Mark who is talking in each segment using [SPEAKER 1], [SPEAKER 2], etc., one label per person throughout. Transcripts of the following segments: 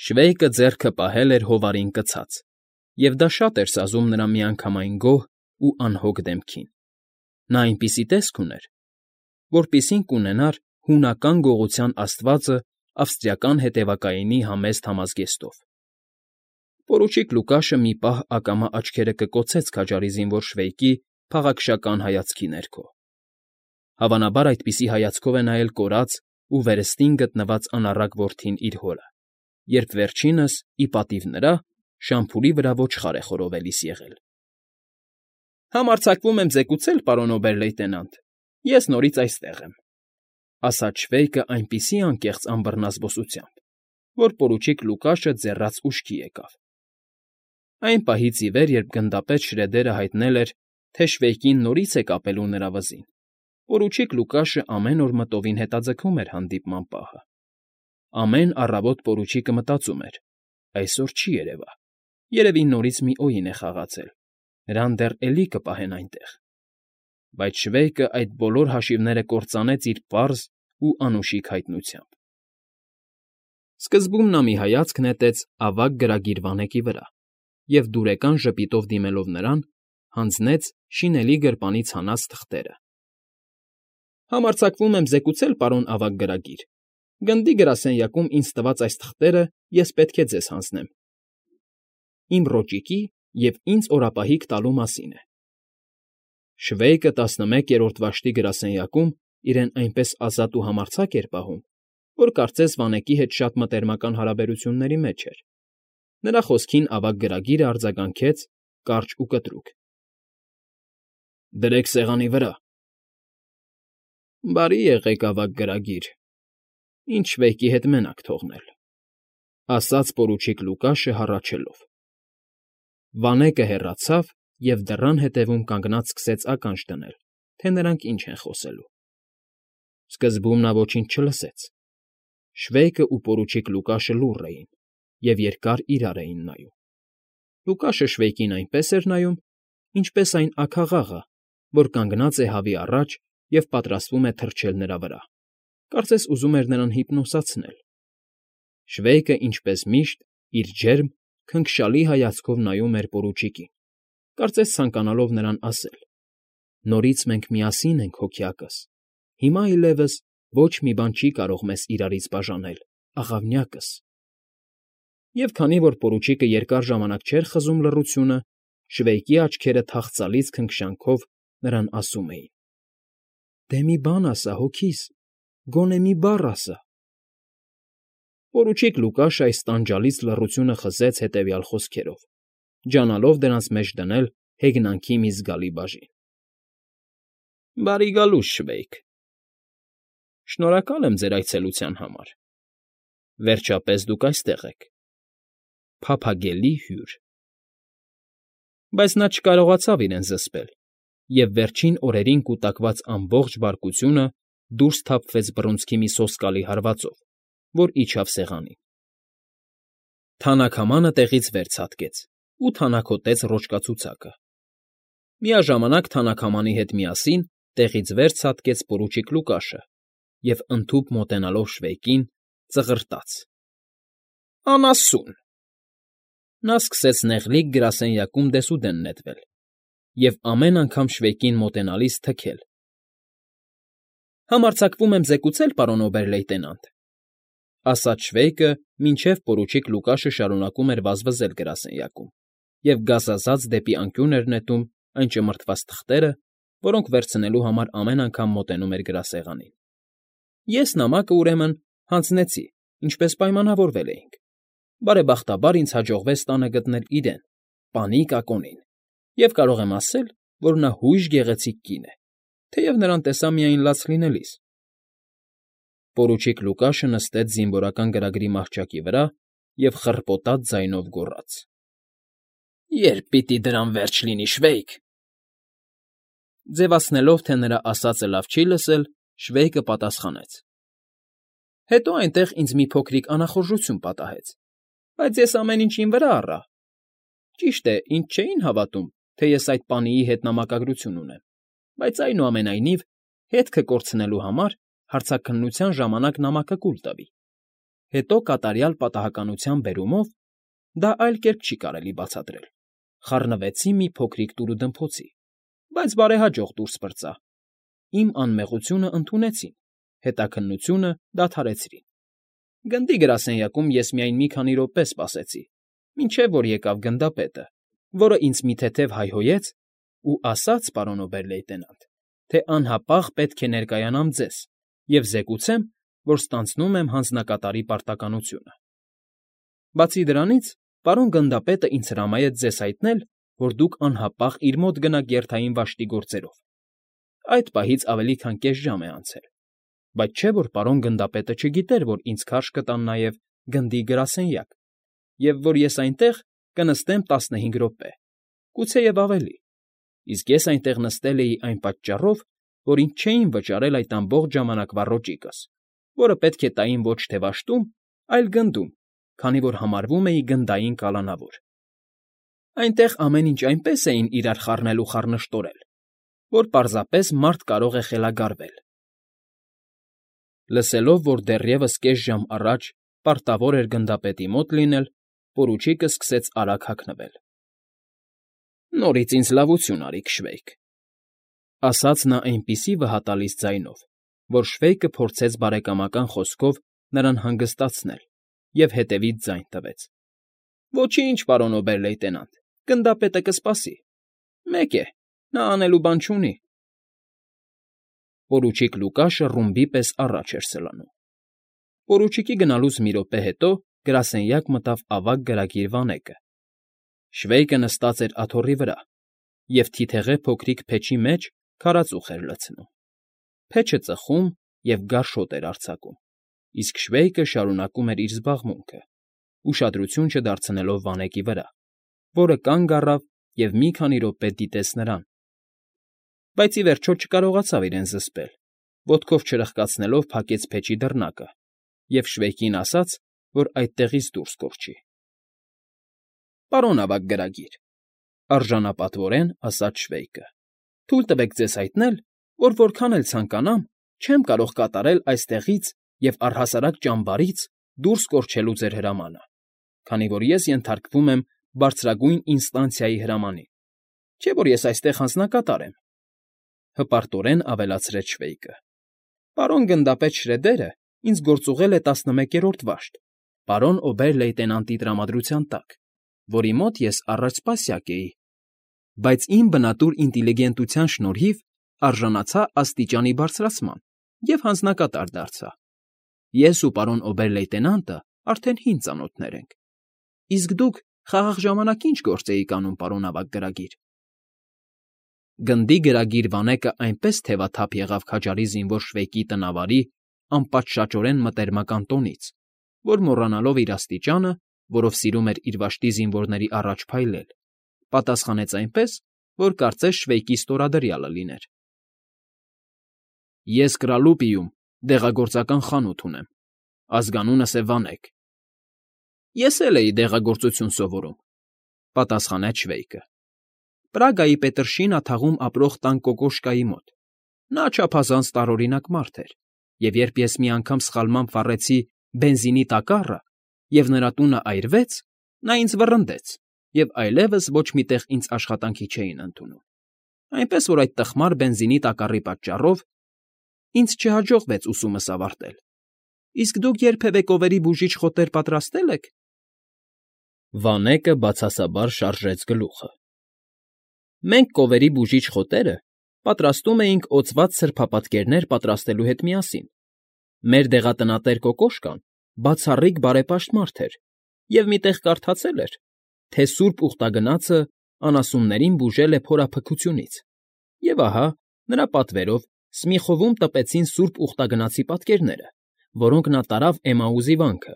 [SPEAKER 1] Շվեյկը ձեռքը պահել էր հովարին կցած, և դա շատ էր սազում նրա միանգամայն գոհ ու անհոգ դեմքին. նա այնպիսի տեսք ուներ, որպիսին կունենար հունական գողության աստվածը ավստրիական հետևակայինի համեստ համազգեստով։ Պորուչիկ Լուկաշը մի պահ ակամա աչքերը կկոցեց քաջարի զինվոր Շվեյկի փաղաքշական հայացքի ներքո։ Հավանաբար այդպիսի հայացքով է նայել կորած ու վերստին գտնված անառակ որդին իր հորը, երբ վերջինս, ի պատիվ նրա, շամփուրի վրա ոչխար է խորովելիս եղել։ Համարձակվում եմ զեկուցել, պարոն օբեր֊լեյտենանտ, ես նորից այստեղ եմ, ասաց Շվեյկը այնպիսի անկեղծ անբռնազբոսությամբ, որ պորուչիկ Լուկաշը ձեռաց ուշքի եկավ։ Այն պահից ի վեր, երբ գնդապետ Շրեդերը հայտնել էր, թե Շվեյկին նորից է կապելու նրա վզին, պորուչիկ Լուկաշը ամեն օր մտովին հետաձգում էր հանդիպման պահը։ Ամեն առավոտ պորուչիկը մտածում էր. այսօր չի երևա, երևի նորից մի օին է խաղացել, նրան դեռ էլի կպահեն այնտեղ։ Բայց Շվեյկը այդ բոլոր հաշիվները կործանեց իր պարզ ու անուշիկ հայտնությամբ։ Սկզբում նա մի հայացք նետեց ավագ գրագիր վանեկի վրա և, դուրեկան ժպիտով դիմելով նրան, հանձնեց շինելի գրպանից հանած թղթերը։ Համարձակվում եմ զեկուցել, պարոն ավագ գրագիր, գնդի գրասենյակում ինձ տված այս թղթերը ես պետք է ձեզ հանձնեմ։ Իմ ռոճիկի և ինձ օրապահիկ տալու մասին է։ Շվեյկը 11-րդ վաշտի գրասենյակում իրեն այնպես ազատ ու համարձակ էր պահում, որ կարծես վանեկի հետ շատ մտերմական հարաբերությունների մեջ էր։ Նրա խոսքին ավագ գրագիրը արձագանքեց կարճ ու կտրուկ. Դրեք սեղանի վրա։ Բարի եղեք, ավագ գրագիր, ինձ Շվեյկի հետ մենակ թողնել, ասաց պորուչիկ Լուկաշը հառաչելով։ Վանեկը հեռացավ և դռան ետևում կանգնած սկսեց ականջ դնել, թե նրանք ինչ են խոսելու։ Սկզբում նա ոչինչ չլսեց։ Շվեյկը ու պորուչիկ Լուկաշը լուռ էին և երկար իրար էին նայում։ Լուկաշը Շվեյկին այնպես էր նայում, ինչպես այն աքաղաղը, որ կանգնած է հավի առաջ և պատրաստվում է թռչել նրա վրա, կարծես ուզում էր նրան հիպնոսացնել։ Շվեյկը, ինչպես միշտ, իր ջերմ, քնքշալի հայացքով նայում էր պորուչիկին, կարծես ցանկանալով նրան ասել. նորից մենք միասին ենք, հոքյակս, հիմա այլևս ոչ մի բան չի կարող մեզ իրարից բաժանել, աղավնյակս։ Եվ քանի որ պորուչիկը երկար ժամանակ չէր խզում լռությունը, Շվեյկի աչքերը թախծալից քնքշանքով նրան ասում էին. «Դե մի բան ասա, հոգիս, գոնե մի բառ ասա»։ Պորուչիկ Լուկաշը այս տանջալից լռությունը խզեց հետևյալ խոսքերով, ջանալով դրանց մեջ դնել հեգնանքի մի զգալի բաժին. Բարի գալուստ, Շվեյկ։ Շնորհակալ եմ ձեր այցելության համար։ Վերջապես դուք այստեղ եք։ Փափագելի հյուր։ Բայց նա չկարողացավ իրեն զսպել, և վերջին օրերին կուտակված ամբողջ բարկությունը դուրս թափվեց բռունցքի մի սոսկալի հարվածով, որ իջավ սեղանին։ Թանաքամանը տեղից վեր ցատկեց ու թանաքոտեց ռոճկացուցակը։ Միաժամանակ թանաքամանի հետ միասին տեղից վեր ցատկեց պորուչիկ Լուկաշը և, ընդհուպ մոտենալով Շվեյկին, ծղրտաց. «Անասուն»։ Նա սկսեց նեղլիկ գրասենյակում դեսուդեն նետվել և ամեն անգամ Շվեյկին մոտենալիս թքել. Համարձակվում եմ զեկուցել, պարոն օբեր֊լեյտենանտ, ասաց Շվեյկը, մինչև պորուչիկ Լուկաշը շարունակում էր վազվզել գրասենյակում և գազազած դեպի անկյուն էր նետում այն ճմրթված թղթերը, որոնք վերցնելու համար ամեն անգամ մոտենում էր գրասեղանին։ Ես նամակը, ուրեմն, հանձնեցի, ինչպես պայմանավորվել էինք։ Բարեբախտաբար ինձ հաջողվեց տանը գտնել իրեն, պանիկ Ակոնին, և կարող եմ ասել, որ նա հույժ գեղեցիկ կին է, թեև նրան տեսա միայն լաց լինելիս։ Պորուչիկ Լուկաշը նստեց զինվորական գրագրի մահճակի վրա և խռպոտած ձայնով գոռաց. Երբ պիտի դրան վերջ լինի, Շվեյկ։ Ձևացնելով, թե նրա ասածը լավ չի լսել, Շվեյկը պատասխանեց. Հետո այնտեղ ինձ մի փոքրիկ անախորժություն պատահեց, բայց ես ամեն ինչ իմ վրա առա։ Ճիշտ է, ինձ չէին հավատում, թե ես այդ պանիի հետ նամակագրություն ունեմ, բայց այնուամենայնիվ, հետքը կորցնելու համար հարցաքննության ժամանակ նամակը կուլ տվի։ Հետո կատարյալ պատահականության բերումով (դա այլ կերպ չի կարելի բացատրել) խառնվեցի մի փոքրիկ տուրուդմփոցի, բայց բարեհաջող դուրս պրծա, իմ անմեղությունը ընդունեցին, հետաքննությունը դադարեցրին։ Գնդի գրասենյակում ես միայն մի քանի րոպե սպասեցի, մինչև որ եկավ գնդապետը, որը ինձ մի թեթև հայհոյեց ու ասաց, պարոն օբեր֊լեյտենանտ, թե անհապաղ պետք է ներկայանամ ձեզ և զեկուցեմ, որ ստանձնում եմ հանձնակատարի պարտականությունը։ Բացի դրանից, պարոն գնդապետը ինձ հրամայեց ձեզ հայտնել, որ դուք անհապաղ իր մոտ գնաք երթային վաշտի գործերով։ Այդ պահից ավելի քան կես ժամ է անցել, բայց չէ՞ որ պարոն գնդապետը չգիտեր, որ ինձ քարշ կտան նաև գնդի գրասենյակ, և որ ես այնտեղ կնստեմ 15 րոպե, գուցեև ավելի, իսկ ես այնտեղ նստել էի այն պատճառով, որ ինձ չէին վճարել այդ ամբողջ ժամանակվա ռոճիկս, որը պետք է տային ոչ թե վաշտում, այլ գնդում, քանի որ համարվում էի գնդային կալանավոր։ Այնտեղ ամեն ինչ այնպես էին իրար խառնել ու խառնշտորել, որ պարզապես մարդ կարող է խելագարվել։ Լսելով, որ դեռևս կես ժամ առաջ պարտավոր էր գնդապետի մոտ լինել, պորուչիկը սկսեց արագ հագնվել։ «Նորից ինձ լավություն արիք, Շվեյք», ասաց նա այնպիսի վհատալից ձայնով, որ Շվեյկը փորձեց բարեկամական խոսքով նրան հանգստացնել և հետևից ձայն տվեց։ «Ոչինչ, պարոն օբեր֊լեյտենանտ, գնդապետը կսպասի։ Մեկ է, նա անելու բան չունի»։ Պորուչիկ Լուկաշը ռումբի պես առաջ էր սլանում։ Պորուչիկի գնալուց մի րոպե հետո գրասենյակ մտավ ավագ գրագիր Վանեկը։ Շվեյկը նստած էր աթոռի վրա և թիթեղե փոքրիկ փեչի մեջ քարածուխ էր լցնում։ Փեչը ծխում և գարշոտ էր արձակում, իսկ Շվեյկը շարունակում էր իր զբաղմունքը, ուշադրություն չդարձնելով Վանեկի վրա, որը կանգ առավ և մի քանի րոպե դիտեց նրան, բայց ի վերջո չկարողացավ իրեն զսպել, ոտքով չրխկացնելով փակեց փեչի դռնակը և Շվեյկին ասաց, որ այդտեղից դուրս կորչի։ «Պարոն ավագ գրագիր», արժանապատվորեն ասաց Շվեյկը, «թույլ տվեք ձեզ հայտնել, որ որքան էլ ցանկանամ, չեմ կարող կատարել այստեղից և առհասարակ ճամբարից դուրս կորչելու ձեր հրամանը, քանի որ ես ենթարկվում եմ բարձրագույն ինստանցիայի հրամանին, չէ՞ որ ես այստեղ հանձնակատար եմ», հպարտորեն ավելացրեց Շվեյկը։ «Պարոն գնդապետ Շրեդերը ինձ գործուղել է 11-րդ վաշտ, պարոն օբեր֊լեյտենանտի տրամադրության տակ, որի մոտ ես առաջ սպասյակ էի, բայց իմ բնատուր ինտիլիգենտության շնորհիվ արժանացա աստիճանի բարձրացման և հանձնակատար դարձա։ Ես ու պարոն օբեր֊լեյտենանտը արդեն հին ծանոթներ ենք, իսկ դուք խաղաղ ժամանակ ի՞նչ գործ էիք անում, պարոն ավագ գրագիր»։ Գնդի գրագիր Վանեկը այնպես թևաթափ եղավ քաջարի զինվոր Շվեյկի տնավարի անպատշաճորեն մտերմական տոնից, որ մոռանալով իր աստիճանը, որով սիրում էր իր վաշտի զինվորների առաջ փայլել, պատասխանեց այնպես, որ կարծես Շվեյկի ստորադրյալը լիներ։ «Ես Կրալուպիում դեղագործական խանութ ունեմ, ազգանունս է Վանեք»։ «Ես էլ էի դեղագործություն սովորում», պատասխանեց Շվեյկը։ «Պրագայի Պետրշինա թաղում ապրող տան Կոկոշկայի մոտ։ Նա չափազանց տարօրինակ մարդ էր, և երբ ես մի անգամ սխալմամբ վառեցի բենզինի տակառը, և նրա տունը այրվեց, նա ինձ վռնդեց և այլևս ոչ մի տեղ ինձ աշխատանքի չէին ընդունում, այնպես որ այդ տխմար բենզինի տակառի պատճառով ինձ չհաջողվեց ուսումս ավարտել։ Իսկ դուք երբևէ կովերի բուժիչ խոտեր պատրաստե՞լ եք»։ Վանեկը բացասաբար շարժեց գլուխը։ «Մենք կովերի բուժիչ խոտերը պատրաստում էինք օծված սրբապատկերներ պատրաստելու հետ միասին։ Մեր դեղատնատեր Կոկոշկան բացառիկ բարեպաշտ մարդ էր և մի տեղ կարդացել էր, թե Սուրբ Ուխտագնացը անասուններին բուժել է փորափքությունից, և ահա, նրա պատվերով Սմիխովում տպեցին Սուրբ Ուխտագնացի պատկերները, որոնք նա տարավ Էմաուզի վանքը,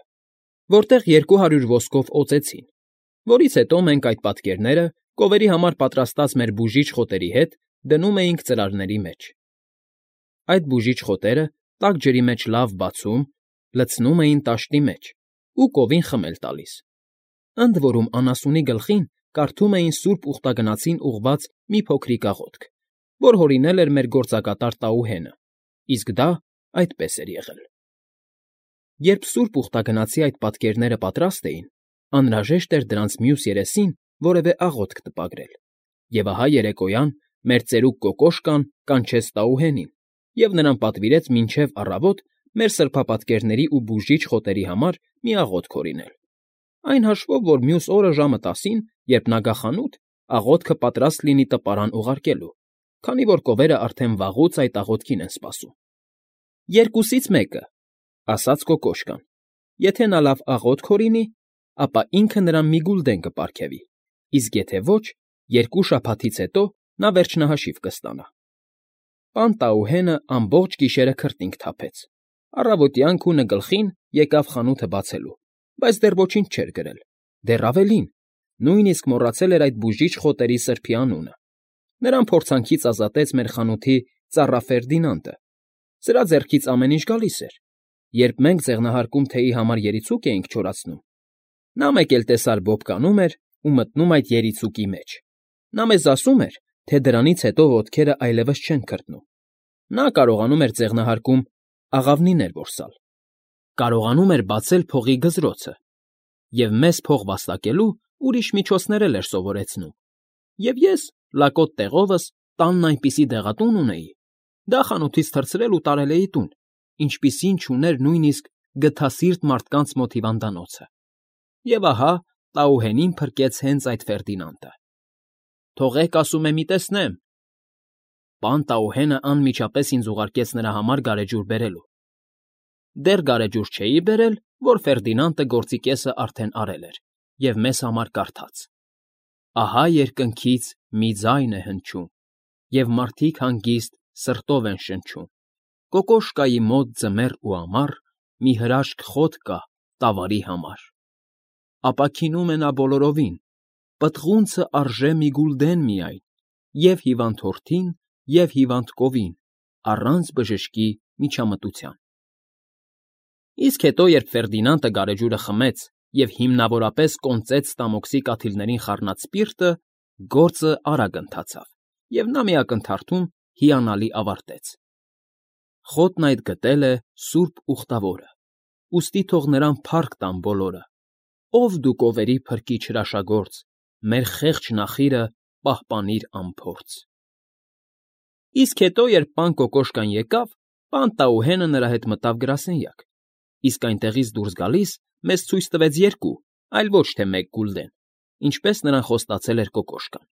[SPEAKER 1] որտեղ 200 ոսկով օծեցին, որից հետո մենք այդ պատկերները կովերի համար պատրաստած մեր բուժիչ խոտերի հետ դնում էինք ծրարների մեջ։ Այդ բուժիչ խոտերը տաք ջրի մեջ լավ բացում, լցնում էին տաշտի մեջ ու կովին խմել տալիս։ Ընդ որում անասունի գլխին կարդում էին Սուրբ Ուխտագնացին ուղղված մի փոքրիկ աղոթք, որ հորինել էր մեր գործակատար Տաուհենը, իսկ դա այդպես էր եղել։ Երբ Սուրբ Ուխտագնացի այդ պատկերները պատրաստ էին, անհրաժեշտ էր դրանց մյուս երեսին որևէ աղոթք տպագրել, և ահա երեկոյան մեր ծերուկ Կոկոշկան կանչեց Տաուհենին և նրան պատվիրեց մինչև առավոտ մեր սրբապատկերների ու բուժիչ խոտերի համար մի աղոթք հորինել, այն հաշվով, որ մյուս օրը ժամը 10-ին, երբ նա գա խանութ, աղոթքը պատրաստ լինի տպարան ուղարկելու, քանի որ կովերը արդեն վաղուց այդ աղոթքին են սպասում։ «Երկուսից մեկը,֊ ասաց Կոկոշկան,֊ եթե նա լավ աղոթք հորինի, ապա ինքը նրան մի գուլդեն կպարգևի, իսկ եթե ոչ, 2 շաբաթից հետո նա վերջնահաշիվ կստանա»։ Պան Տաուհենը ամբողջ գիշերը քրտինք թափեց, առավոտյան քունը գլխին եկավ խանութը բացելու, բայց դեռ ոչինչ չէր գրել, դեռ ավելին, նույնիսկ մոռացել էր այդ բուժիչ խոտերի սրբի անունը։ Նրան փորձանքից ազատեց մեր խանութի ծառա Ֆերդինանդը, սրա ձեռքից ամեն ինչ գալիս էր, երբ մենք ձեղնահարկում թեյի համար երիցուկ էինք չորացնում, նա մեկ էլ տեսար բոբ կանում էր ու մտնում այդ երիցուկի մեջ։ Նա մեզ ասում էր, թե դրանից հետո ոտքերը այլևս չեն քրտնում։ Նա կարողանում էր ձեղնահարկում աղավնիներ որսալ, կարողանում էր բացել փողի գզրոցը և մեզ փող վաստակելու ուրիշ միջոցներ էլ էր սովորեցնում։ Եվ ես, լակոտ տեղովս, տանն այնպիսի դեղատուն ունեի, դա խանութից թռցրել ու տարել էի տուն, ինչպիսին չուներ նույնիսկ գթասիրտ մարդկանց մոտ հիվանդանոցը։ Եվ ահա Տաուհենին փրկեց հենց այդ Ֆերդինանդը։ «Թողեք, ասում եմ, մի տեսնեմ»։ Պան Տաուհենը անմիջապես ինձ ուղարկեց նրա համար գարեջուր բերելու։ Դեռ գարեջուր չէի բերել, որ Ֆերդինանդը գործի կեսը արդեն արել էր և մեզ համար կարդաց. «Ահա երկնքից մի ձայն է հնչում, և մարդիկ հանգիստ սրտով են շնչում. Կոկոշկայի մոտ ձմեռ ու ամառ մի հրաշք խոտ կա տավարի համար։ Ապաքինում է նա բոլորովին, պտղունցը արժե մի գուլդեն միայն, և հիվանդ հորթին, և հիվանդ կովին, առանց բժշկի միջամտության»։ Իսկ հետո, երբ Ֆերդինանդը գարեջուրը խմեց և հիմնավորապես կոնծեց ստամոքսի կաթիլներին խառնած սպիրտը, գործը արագ ընթացավ, և նա մի ակնթարթում հիանալի ավարտեց. «Խոտն այդ գտել է Սուրբ Ուխտավորը, ուստի թող նրան փառք տան բոլորը, ով դու կովերի փրկիչ հրաշագործ, մեր խեղճ նախիրը պահպանիր անփորձ»։ Իսկ հետո, երբ պան Կոկոշկան եկավ, պան Տաուհենը նրա հետ մտավ գրասենյակ, իսկ այնտեղից դուրս գալիս մեզ ցույց տվեց 2, այլ ոչ թե 1 գուլդեն, ինչպես նրան խոստացել էր Կոկոշկան։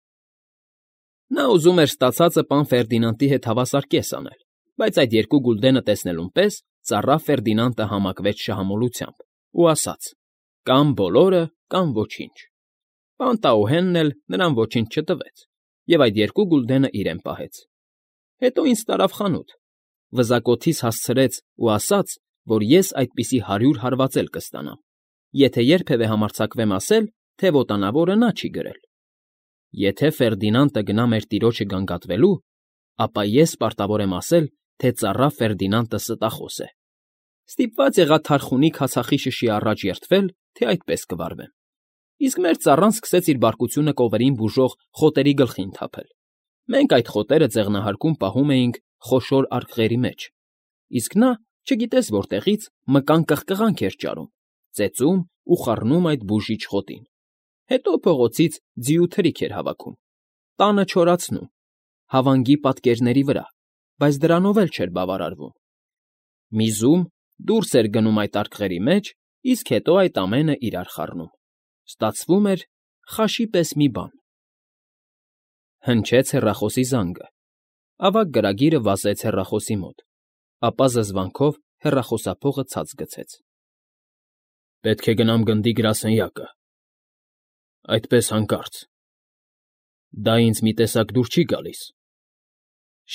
[SPEAKER 1] Նա ուզում էր ստացածը պան Ֆերդինանդի հետ հավասար կես անել, բայց այդ 2 գուլդենը տեսնելուն պես ծառա Ֆերդինանդը համակվեց շահամոլությամբ ու ասաց. «Կամ բոլորը, կամ ոչինչ»։ Պան Տաուհենն էլ նրան ոչինչ չտվեց և այդ 2 գուլդենը իրեն պահեց։ Հետո ինձ տարավ խանութ, վզակոթիս հասցրեց ու ասաց, որ ես այդպիսի 100 հարվածել կստանամ, եթե երբևէ համարձակվեմ ասել, թե ոտանավորը նա չի գրել։ Եթե Ֆերդինանդը գնա մեր տիրոջը գանգատվելու, ապա ես պարտավոր եմ ասել, թե ծառա Ֆերդինանդը ստախոս է։ Ստիպված եղա թարխունի քացախի առաջ երդվել, թե այդպես կվարվեմ։ Իսկ մեր ծառան սկսեց իր բարկությունը կովերին բուժող խոտերի գլխին թափել։ Մենք այդ խոտերը ձեղնահարկում պահում էինք խոշոր արկղերի մեջ, իսկ նա, չգիտես որտեղից, մկան կղկղանք էր ճարում, ծեծում ու խառնում այդ բուժիչ խոտին։ Հետո փողոցից ձիու թրիք էր հավաքում, տանը չորացնում, հավանգի պատկերների վրա, բայց դրանով էլ չէր բավարարվում։ Միզում դուրս էր գնում այդ արկղերի մեջ, իսկ հետո այդ ամենը իրար խառնում։ Ստացվում էր խաշի պես մի բան։ Հնչեց հեռախոսի զանգը։ Ավագ գրագիրը վազեց հեռախոսի մոտ, ապա զզվանքով հեռախոսափողը ցած գցեց։ «Պետք է գնամ գնդի գրասենյակը։ Այդպես հանկարծ։ Դա ինձ մի տեսակ դուր չի գալիս»։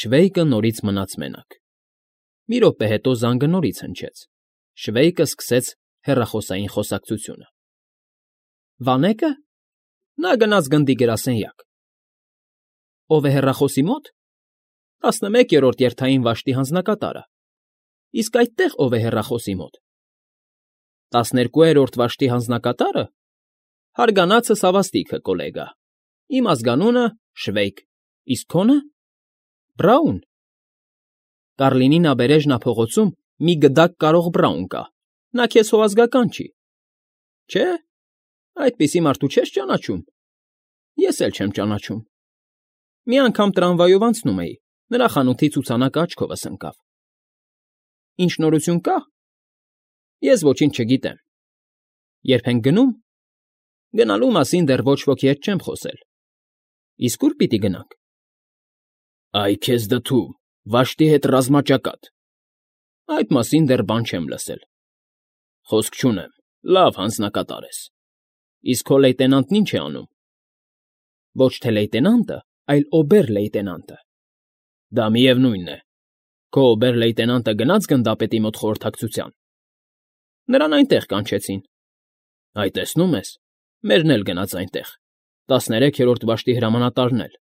[SPEAKER 1] Շվեյկը նորից մնաց մենակ։ Մի րոպե հետո զանգը նորից հնչեց։ Շվեյկը սկսեց հեռախոսային խոսակցությունը։ «Վանե՞կը։ Նա գնաց գնդի գրասենյակ»։ Ո՞վ է հեռախոսի մոտ։ 11-րդ երթային վաշտի հանձնակատարը։ Իսկ այդտեղ ո՞վ է հեռախոսի մոտ։ 12-րդ վաշտի հանձնակատարը։ Հարգանացս հավաստիքը, կոլեգա։ Իմ ազգանունը Շվեյկ, իսկ քոնը։ Բրաուն։ Կարլինի նաբերեժնա փողոցում մի գդակ կարող Բրաուն կա, Նա քեզ հոազգական չի։ Չէ՞, այդպիսի մարդու չես ճանաչում։ Ես էլ չեմ ճանաչում։ Մի անգամ տրամվայով անցնում էի, նրա խանութի ցուցանակը աչքովս ընկավ։ Ինչ նորություն կա։ Ես ոչինչ չգիտեմ։ Երբ ենք գնում։ Գնալու մասին դեռ ոչ ոքի հետ չեմ խոսել։ Իսկ ուր պիտի գնանք։ Այ քեզ դթում, վաշտի հետ ռազմաճակատ։ Այդ մասին դեռ բան չեմ լսել։ Խոսք չունեմ, լավ հանձնակատար ես։ Իսկ քո լեյտենանտն ինչ է անում։ Ոչ թե լեյտենանտը, այլ օբեր֊լեյտենանտը։ Դա միևնույնն է։ Քո օբեր֊լեյտենանտը գնաց գնդապետի մոտ խորհրդակցության։ Նրան այնտեղ կանչեցին։ Այ տեսնում ես, մերն էլ գնաց այնտեղ, 13-րդ վաշտի հրամանատարն էլ։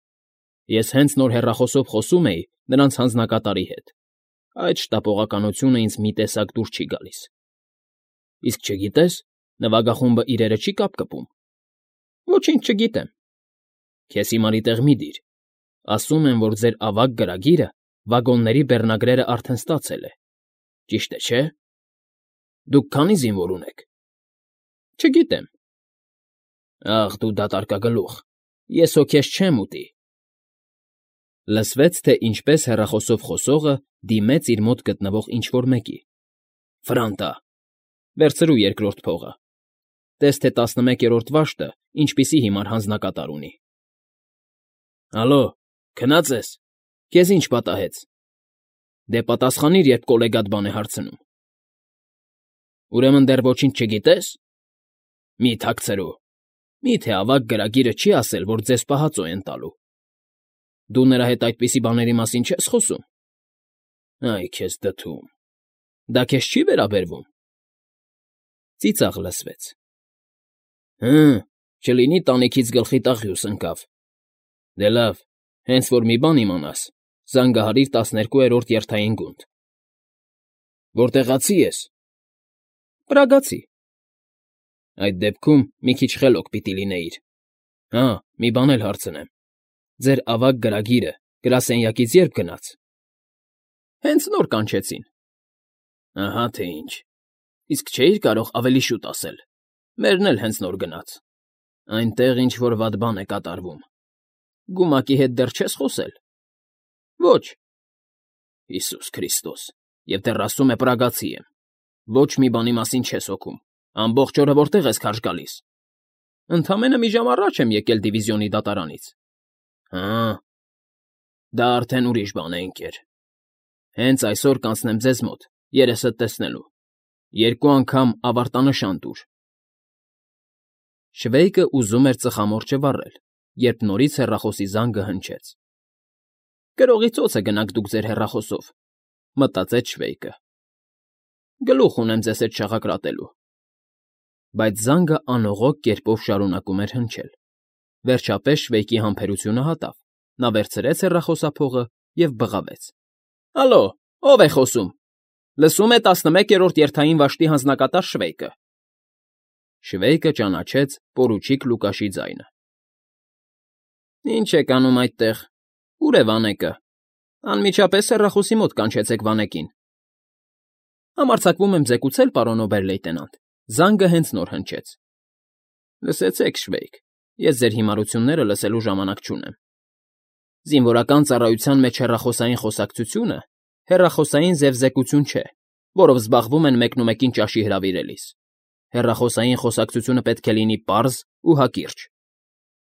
[SPEAKER 1] Ես հենց նոր հեռախոսով խոսում էի նրանց հանձնակատարի հետ։ Այդ շտապողականությունը ինձ մի տեսակ դուր չի գալիս։ Իսկ չգիտես, նվագախումբը իրերը չի կապկպում։ Ոչինչ չգիտեմ։ Քեզ հիմարի տեղ մի դիր։ Ասում են, որ ձեր ավագ գրագիրը վագոնների բեռնագրերը արդեն ստացել է։ Ճիշտ է, չէ՞։ Դուք քանի զինվոր ունեք։ Չգիտեմ։ Ախ, դու դատարկագլուխ, ես հո քեզ չեմ ուտի։ Լսվեց, թե ինչպես հեռախոսով խոսողը դիմեց իր մոտ գտնվող ինչ֊որ մեկի։ Ֆրանտա, վերցրու երկրորդ փողը։ Տես թե 11-րդ վաշտը ինչպիսի հիմար հանձնակատար ունի։ Ալո, քնած ես։ Քեզ ինչ պատահեց։ Դե պատասխանիր, երբ կոլեգատ բան է հարցնում։ Ուրեմն դեռ ոչինչ չգիտես։ Մի թաքցրու։ Միթե ավագ գրագիրը չի ասել, որ ձեզ պահածո են տալու։ Դու նրա հետ այդպիսի բաների մասին չես խոսում։ Այ քեզ դթում։ Դա քեզ չի վերաբերվում։ Ծիծաղ լսվեց։ Չլինի տանիքից գլխի տաղյուս ընկավ։ Դե լավ, հենց որ մի բան իմանաս, զանգահարիր 12-րդ երթային գունդ։ Որտեղացի ես։ Պրագացի։ Այդ դեպքում մի քիչ խելոք պիտի լինեիր։ Հա, մի բան էլ հարցնեմ։ Ձեր ավագ գրագիրը գրասենյակից երբ գնաց։ Հենց նոր կանչեցին։ Ահա թե ինչ։ Իսկ չէիր կարող ավելի շուտ ասել։ Մերն էլ հենց նոր գնաց։ Այնտեղ ինչ-որ վատ բան է կատարվում։ Գումակի հետ դեռ չես խոսել։ Ոչ։ Հիսուս Քրիստոս, եւ դեռ ասում է պրագացի եմ։ Ոչ մի բանի մասին չես հոգում։ Ամբողջ օրը որտեղ ես քարշ գալիս։ Ընդամենը մի ժամ առաջ եմ եկել դիվիզիոնի դատարանից։ Հա։ Դա արդեն ուրիշ բան է, ընկեր։ Հենց այսօր կանցնեմ ձեզ մոտ, երեսդ տեսնելու։ 2 անգամ ավարտանշան տուր։ Շվեյկը ուզում էր ծխամորճը վառել, երբ նորից հեռախոսի զանգը հնչեց։ Գրողի ծոցը գնաք դուք ձեր հեռախոսով, մտածեց Շվեյկը։ Գլուխ ունեմ ձեզ հետ շաղակրատելու։ Բայց զանգը անողոք կերպով շարունակում էր հնչել։ Վերջապես Շվեյկի համբերությունը հատավ։ Նա վերցրեց հեռախոսափողը և բղավեց։ Ալո, ո՞վ է խոսում։ Լսում է 11-րդ երթային վաշտի հանձնակատար Շվեյկը։ Շվեյկը ճանաչեց պորուչիկ Լուկաշի ձայնը։ Ինչ եք անում այդտեղ։ Ուր է Վանեկը։ Անմիջապես հեռախոսի մոտ կանչեցեք Վանեկին։ Համարձակվում եմ զեկուցել, պարոն օբեր֊լեյտենանտ։ Զանգը հենց նոր հնչեց։ Լսեցեք, Շվեյկ, ես ձեր հիմարությունները լսելու ժամանակ չունեմ։ Զինվորական ծառայության մեջ հեռախոսային խոսակցությունը հեռախոսային զևզեկություն չէ, որով զբաղվում են մեկնումեկին ճաշի հրավիրելիս։ Հեռախոսային խոսակցությունը պետք է լինի պարզ ու հակիրճ։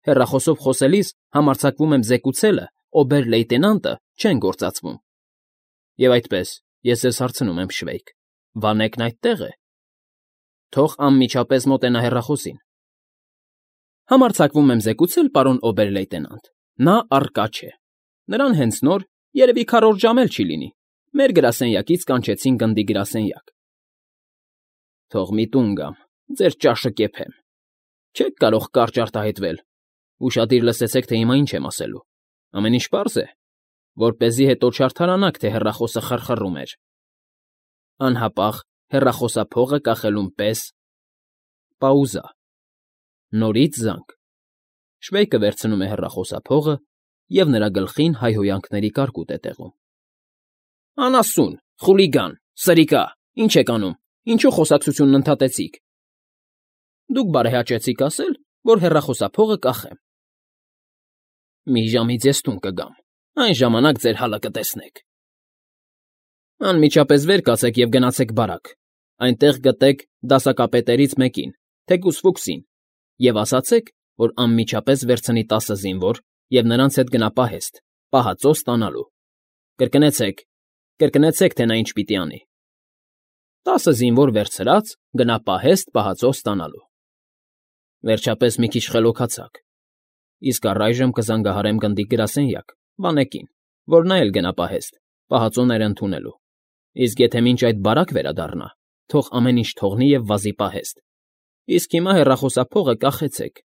[SPEAKER 1] Հեռախոսով խոսելիս համարձակվում եմ զեկուցելը, օբեր֊լեյտենանտը չեն գործածվում։ Եվ այդպես, ես ձեզ հարցնում եմ, Շվեյկ, Վանեկն այդտեղ է։ Թող անմիջապես մոտենա հեռախոսին։ Համարձակվում եմ զեկուցել, պարոն օբեր֊լեյտենանտ, նա առկա չէ։ Նրան հենց նոր, երևի քառորդ ժամ էլ չի լինի, մեր գրասենյակից կանչեցին գնդի գրասենյակ։ Թող մի տուն գամ, ձեր ճաշը կեփեմ։ Չեք կարող կարճ արտահայտվել։ Ուշադիր լսեցեք, թե հիմա ինչ եմ ասելու։ Ամեն ինչ պարզ է, որպեսզի հետո չարդարանաք, թե հեռախոսը խռխռում էր։ Անհապաղ հեռախոսափողը կախելուն պես։ Պաուզա։ Նորից զանգ։ Շվեյկը վերցնում է հեռախոսափողը և նրա գլխին հայհոյանքների կարկուտ է տեղում։ Անասուն, խուլիգան, սրիկա, ինչ եք անում, ինչու խոսակցությունն ընդհատեցիք։ Դուք բարեհաճեցիք ասել, որ հեռախոսափողը կախեմ։ Մի ժամից ես տուն կգամ, այն ժամանակ ձեր հալը կտեսնեք։ Անմիջապես վեր կացեք և գնացեք բարակ, այնտեղ գտեք դասակապետերից մեկին, թեկուզ Ֆուքսին, և ասացեք, որ անմիջապես վերցնի 10 զինվոր և նրանց հետ գնա պահեստ, պահածո ստանալու։ Կրկնեցեք, թե նա ինչ պիտի անի։ 10 զինվոր վերցրած գնա պահեստ պահածո ստանալու։ Վերջապես մի քիչ խելոքացաք։ Իսկ առայժմ կզանգահարեմ գնդիկ գրասենյակ, Վանեկին, որ նա էլ գնա պահեստ, պահածոները ընդունելու։ Իսկ եթե մինչ այդ բարակ վերադառնա, թող ամեն ինչ թողնի և վազի պահեստ։ Իսկ հիմա հեռախոսափողը կախեցեք,